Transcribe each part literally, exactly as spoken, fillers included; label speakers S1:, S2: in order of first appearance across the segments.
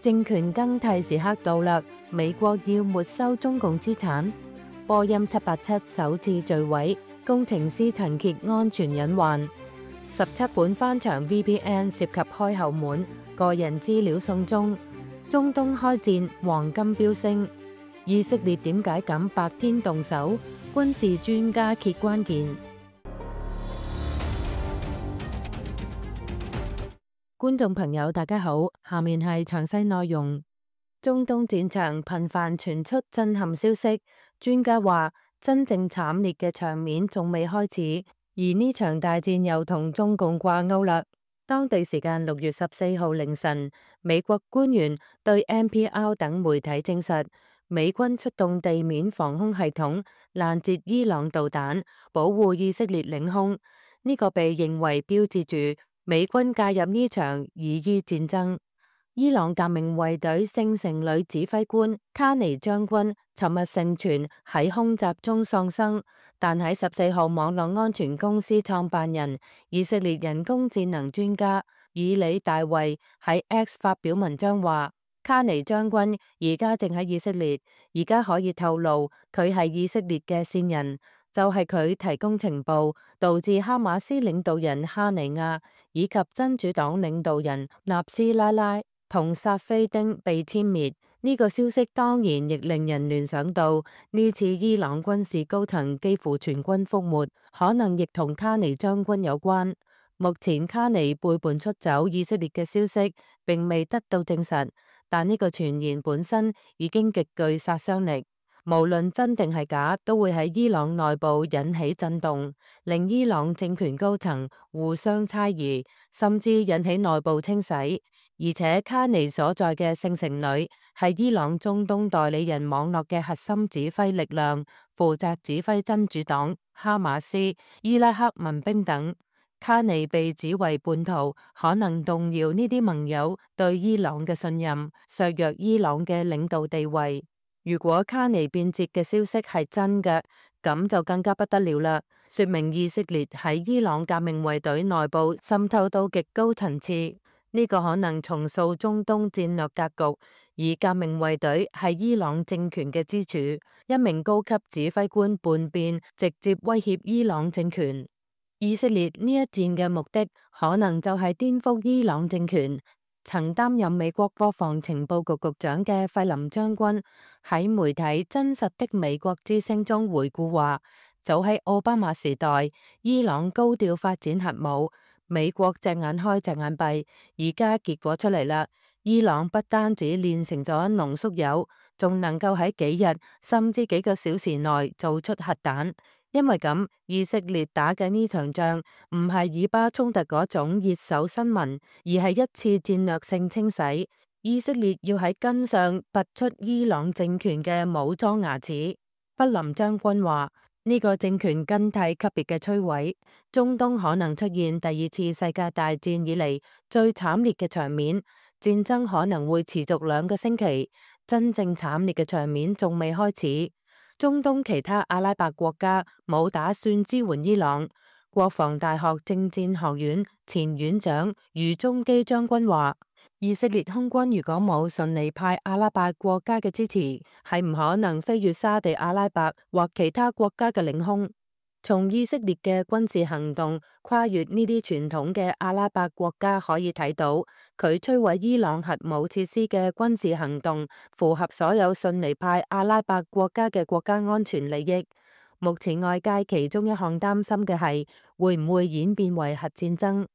S1: 政權更替時刻到啦，美國要沒收中共資產。波音七八七首次墜毀，工程師陳揭安全隱患。十七款翻牆 V P N 涉及開後門，個人資料送中。中東開戰，黃金飆升。以色列點解敢白天動手？軍事專家揭關鍵。觀眾朋友，大家好，下面係詳細內容。中東戰場頻繁傳出震撼消息，專家話真正慘烈嘅場面仲未開始，而呢場大戰又同中共掛鈎啦。當地時間六月十四號凌晨，美國官員對 N P R 等媒體證實，美軍出動地面防空系統攔截伊朗導彈，保護以色列領空。呢個被認為標誌住美軍介入呢場以伊戰爭。伊朗革命衛隊聖城旅指揮官卡尼將軍尋日盛傳喺空襲中喪生，但喺十四號網絡安全公司創辦人、以色列人工智能專家以里大衛喺 X 發表文章話，卡尼將軍而家正喺以色列，而家可以透露佢係以色列嘅線人，就係佢提供情報，導致哈馬斯領導人哈尼亞以及真主黨領導人納斯拉拉同薩菲丁被殲滅。呢個消息當然亦令人聯想到，呢次伊朗軍事高層幾乎全軍覆沒，可能亦同卡尼將軍有關。目前卡尼背叛出走以色列嘅消息並未得到證實，但呢個傳言本身已經極具殺傷力。無論真定係假，都會喺伊朗內部引起震動，令伊朗政權高層互相猜疑，甚至引起內部清洗。而且卡尼所在嘅聖城旅係伊朗中東代理人網絡嘅核心指揮力量，負責指揮真主黨、哈馬斯、伊拉克民兵等。卡尼被指為叛徒，可能動搖呢啲盟友對伊朗嘅信任，削弱伊朗嘅領導地位。如果卡尼變節嘅消息係真嘅，咁就更加不得了啦，說明以色列喺伊朗革命衛隊內部滲透到極高層次。呢個可能重塑中東戰略格局，而革命衛隊係伊朗政權嘅支柱。一名高級指揮官叛變，直接威脅伊朗政權。以色列呢一戰嘅目的，可能就係顛覆伊朗政權。曾擔任美國國防情報局局長嘅費林將軍喺媒體《真實的美國之聲》中回顧話，早喺奧巴馬時代，伊朗高調發展核武，美國隻眼開隻眼閉，而家結果出嚟啦，伊朗不單止煉成咗濃縮鈾，仲能夠喺幾日甚至幾個小時內做出核彈。因為咁，以色列打嘅呢場仗唔係以巴衝突嗰種熱手新聞，而係一次戰略性清洗。以色列要喺根上拔出伊朗政權嘅武裝牙齒。弗林將軍話：呢個政權更替級別嘅摧毀，中東可能出現第二次世界大戰以嚟最慘烈嘅場面，戰爭可能會持續兩個星期，真正慘烈嘅場面仲未開始。中東其他阿拉伯國家冇打算支援伊朗。國防大學政戰學院前院長余中基將軍話：以色列空軍如果冇順利派阿拉伯國家嘅支持，係唔可能飛越沙地阿拉伯或其他國家嘅領空。從以色列嘅軍事行動跨越呢啲傳統嘅阿拉伯國家可以睇到，佢摧毀伊朗核武設施嘅軍事行動符合所有遜尼派阿拉伯國家嘅國家安全利益。目前外界其中一項擔心嘅係會唔會演變為核戰爭。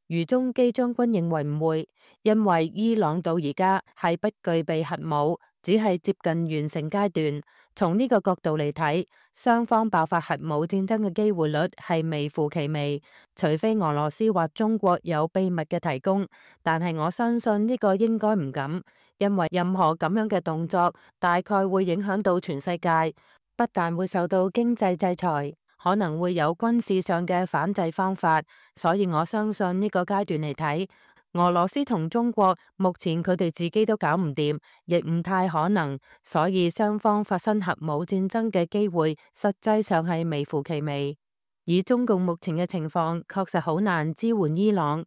S1: 余中基將軍認為唔會，因為伊朗到而家係不具備核武，只係接近完成階段。從呢個角度嚟睇，雙方爆發核武戰爭嘅機會率係微乎其微，除非俄羅斯或中國有秘密嘅提供。但係我相信呢個應該唔敢，因為任何咁樣嘅動作大概會影響到全世界，不但會受到經濟制裁，可能會有軍事上嘅反制方法。所以我相信呢個階段嚟睇，俄羅斯同中國目前佢哋自己都搞唔掂，亦唔太可能，所以雙方發生核武戰爭嘅機會實際上係微乎其微。以中共目前嘅情況，確實好難支援伊朗。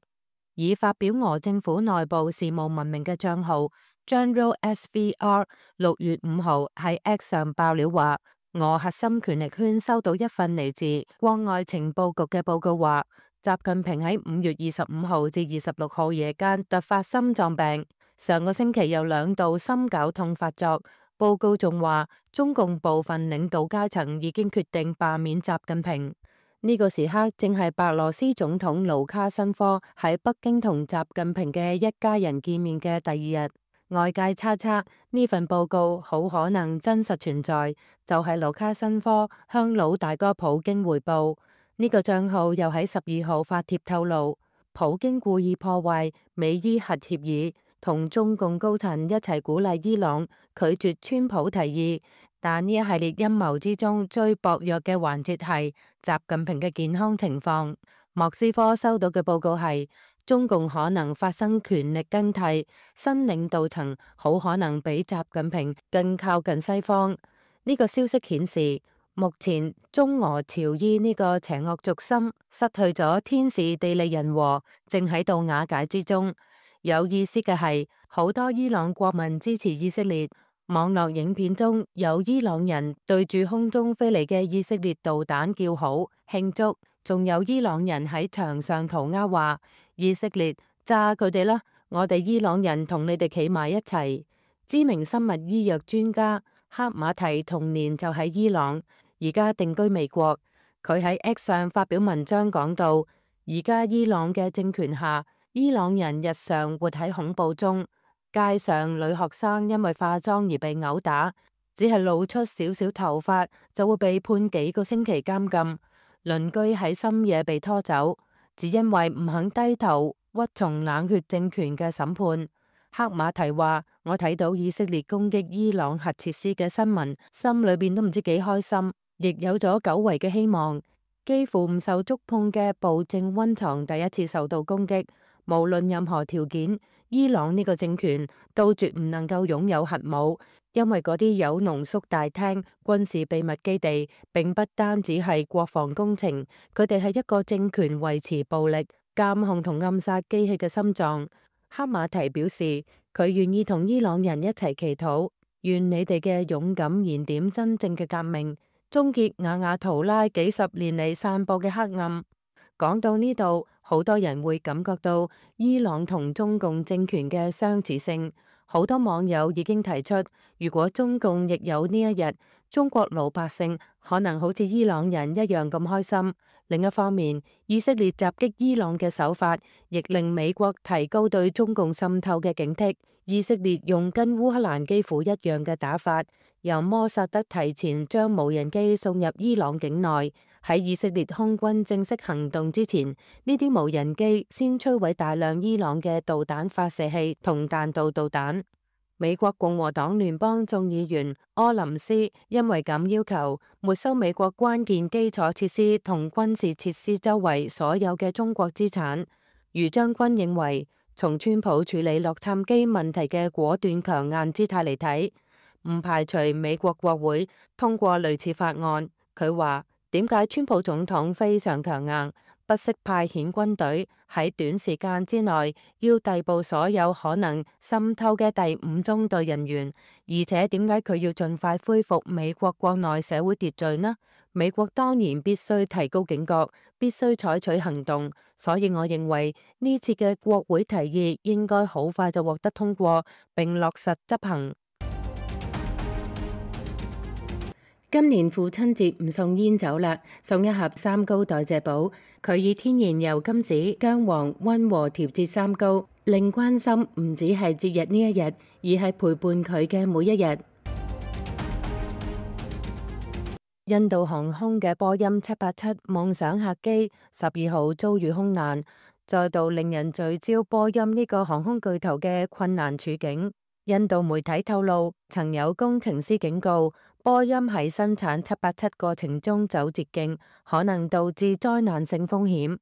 S1: 以發表俄政府內部事務聞名嘅帳號 General S V R 六月五號喺 X 上爆料話，俄核心權力圈收到一份嚟自國外情報局嘅報告，話習近平喺五月二十五號至二十六號夜間突發心臟病，上個星期有兩度心絞痛發作。報告仲話，中共部分領導階層已經決定罷免習近平。呢個時刻正係白羅斯總統盧卡申科喺北京同習近平嘅一家人見面嘅第二日。外界猜測呢份報告好可能真實存在，就係盧卡申科向老大哥普京匯報。呢個賬號又喺十二號發帖透露，普京故意破壞美伊核協議，同中共高層一齊鼓勵伊朗拒絕川普提議。但呢一系列陰謀之中，最薄弱嘅環節係習近平嘅健康情況。莫斯科收到嘅報告係，中共可能發生權力更替，新領導層好可能比習近平更靠近西方。呢個消息顯示，目前中俄朝伊呢個邪惡軸心失去咗天時地利人和，正喺度瓦解之中。有意思嘅係，好多伊朗國民支持以色列。網絡影片中有伊朗人對住空中飛嚟嘅以色列導彈叫好慶祝，仲有伊朗人喺牆上塗鴉話以色列炸佢哋啦，我哋伊朗人同你哋企埋一齊。知名生物醫藥專家克馬提童年就喺伊朗，而家定居美國。佢喺 X 上發表文章講到，而家伊朗嘅政權下，伊朗人日常活喺恐怖中。街上女學生因為化妝而被毆打，只係露出少少頭髮就會被判幾個星期監禁。鄰居喺深夜被拖走，只因為唔肯低頭屈從冷血政權嘅審判。克馬提話：我睇到以色列攻擊伊朗核設施嘅新聞，心裏邊都唔知幾開心，亦有咗久違嘅希望。幾乎唔受觸碰嘅暴政溫床第一次受到攻擊，無論任何條件，伊朗呢個政權都絕唔能夠擁有核武，因為嗰啲有濃縮大廳、軍事秘密基地，並不單止係國防工程，佢哋係一個政權維持暴力、監控同暗殺機器嘅心臟。克馬提表示，佢願意同伊朗人一齊祈禱，願你哋嘅勇敢燃點真正嘅革命，終結瓦瓦圖拉幾十年嚟散播嘅黑暗。講到呢度，好多人會感覺到伊朗同中共政權嘅相似性。好多網友已經提出，如果中共亦有呢一日，中國老百姓可能好似伊朗人一樣咁開心。另一方面，以色列襲擊伊朗嘅手法，亦令美國提高對中共滲透嘅警惕。以色列用跟烏克蘭幾乎一樣嘅打法，由摩薩德提前將無人機送入伊朗境內。喺以色列空軍正式行動之前，呢啲無人機先摧毀大量伊朗嘅導彈發射器同彈道導彈。美國共和黨聯邦眾議員柯林斯因為咁要求沒收美國關鍵基礎設施同軍事設施周圍所有嘅中國資產。余將軍認為，從川普處理洛杉磯問題嘅果斷強硬姿態嚟睇，唔排除美國國會通過類似法案。佢話：點解川普總統非常強硬，不惜派遣軍隊喺短時間之內要逮捕所有可能滲透嘅第五中隊人員，而且點解佢要盡快恢復美國國內社會秩序呢？美國當然必須提高警覺，必須採取行動。所以我認為呢次嘅國會提議應該好快就獲得通過並落實執行。今年父親節唔送煙酒啦，送一盒三高代謝寶。佢以天然油甘子、薑黃溫和調節三高，令關心唔止係節日呢一日，而係陪伴佢嘅每一日。印度航空嘅波音七八七夢想客機十二號遭遇空難，再度令人聚焦波音呢個航空巨頭嘅困難處境。印度媒體透露，曾有工程師警告，波音喺生產七八七過程中走捷徑，可能導致災難性風險。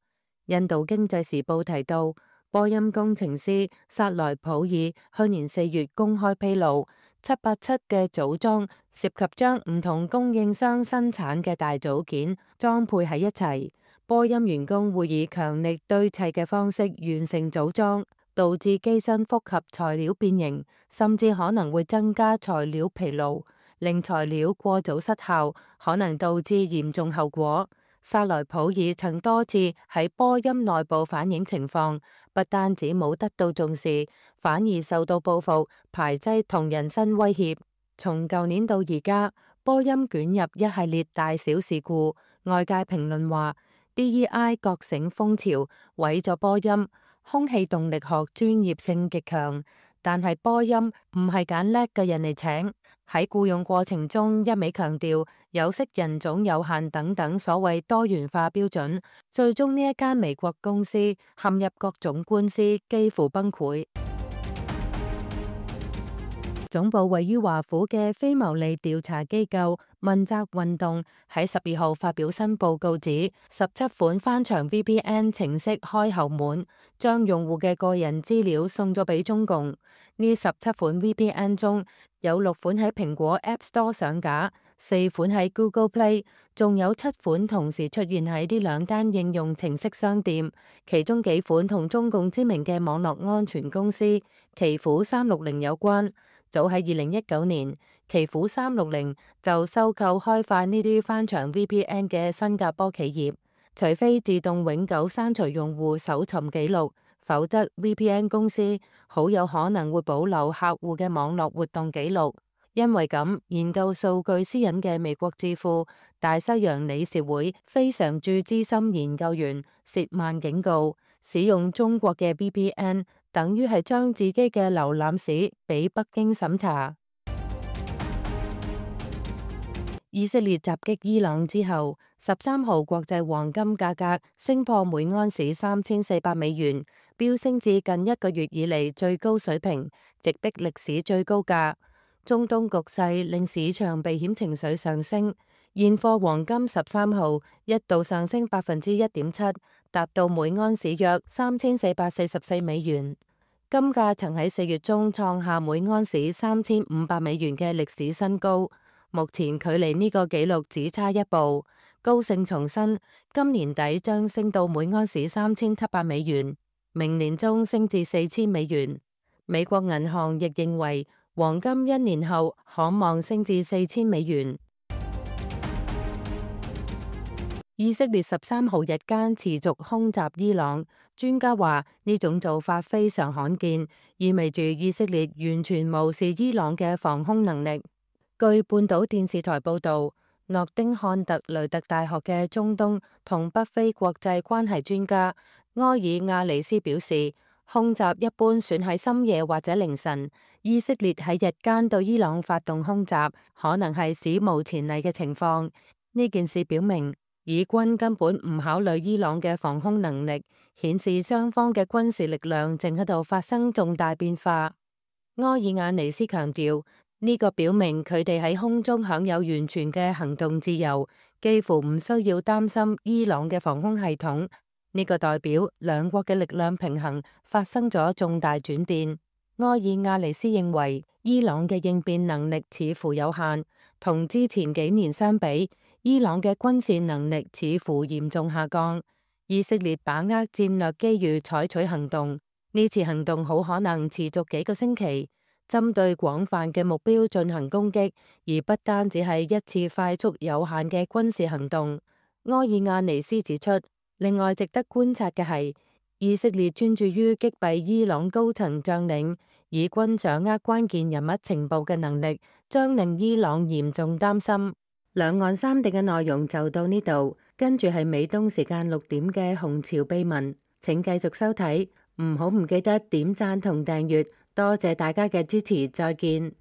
S1: 印度經濟時報提到，波音工程師薩萊普爾去年四月公開披露，七八七嘅組裝涉及將唔同供應商生產嘅大組件裝配喺一齊，波音員工會以強力堆砌嘅方式完成組裝，導致機身複合材料變形，甚至可能會增加材料疲勞，令材料過早失效，可能導致嚴重後果。薩萊普爾曾多次喺波音內部反映情況，不單止冇得到重視，反而受到報復、排擠同人身威脅。從舊年到而家，波音捲入一系列大小事故，外界評論話 D E I 覺醒風潮毀咗波音。空氣動力學專業性極強，但係波音唔係揀叻嘅人嚟請。喺僱用過程中，一味強調有色人種有限等等所謂多元化標準，最終呢一間美國公司陷入各種官司，幾乎崩潰。總部位於華府嘅非牟利調查機構問責運動喺十二號發表新報告指，十七款翻牆 V P N 程式開後門，將用戶嘅個人資料送咗俾中共。呢十七款 V P N 中有六款喺蘋果 App Store 上架，四款喺 Google Play， 仲有七款同時出現喺呢兩間應用程式商店，其中幾款同中共知名嘅網絡安全公司奇虎三六零有關。早喺二零一九年，奇虎三六零就收購開發呢啲翻牆 V P N 嘅新加坡企業。除非自動永久刪除用戶搜尋記錄，否則 V P N 公司好有可能會保留客戶嘅網絡活動記錄。因為咁，研究數據私隱嘅美國智庫大西洋理事會非常駐資深研究員薛曼警告，使用中國嘅 V P N 等於係將自己嘅瀏覽史俾北京審查。以色列襲擊伊朗之後，十三號國際黃金價格升破每安士三千四百美元，飆升至近一個月以嚟最高水平，直逼歷史最高價。中東局勢令市場避險情緒上升，現貨黃金十三號一度上升百分之一點七，達到每安士約三千四百四十四美元。金價曾喺四月中創下每安士三千五百美元嘅歷史新高，目前距離呢個紀錄只差一步。高盛重申，今年底將升到每安士三千七百美元，明年中升至四千美元。美國銀行亦認為，黃金一年後可望升至四千美元。以色列十三號日間持續空襲伊朗，專家話呢種做法非常罕見，意味住以色列完全無視伊朗嘅防空能力。據半島電視台報導，諾丁漢特雷特大學嘅中東同北非國際關係專家埃爾亞尼斯表示，空襲一般選喺深夜或者凌晨，以色列喺日間對伊朗發動空襲，可能係史無前例嘅情況。呢件事表明，以軍根本唔考慮伊朗嘅防空能力，顯示雙方嘅軍事力量正喺度發生重大變化。埃爾亞尼斯強調，呢個表明佢哋喺空中享有完全嘅行動自由，幾乎唔需要擔心伊朗嘅防空系統。呢個代表兩國嘅力量平衡發生咗重大轉變。埃爾亞尼斯認為，伊朗嘅應變能力似乎有限，同之前幾年相比，伊朗嘅軍事能力似乎嚴重下降。以色列把握戰略機遇採取行動，呢次行動好可能持續幾個星期，針對廣泛嘅目標進行攻擊，而不單只係一次快速有限嘅軍事行動。埃爾亞尼斯指出，另外值得觀察嘅係，以色列專注於擊斃伊朗高層將領，以軍掌握關鍵人物情報嘅能力，將令伊朗嚴重擔心。兩岸三地嘅內容就到呢度，跟住係美東時間六點嘅紅潮秘聞，請繼續收睇，唔好唔記得點讚同訂閱。多謝大家嘅支持，再見。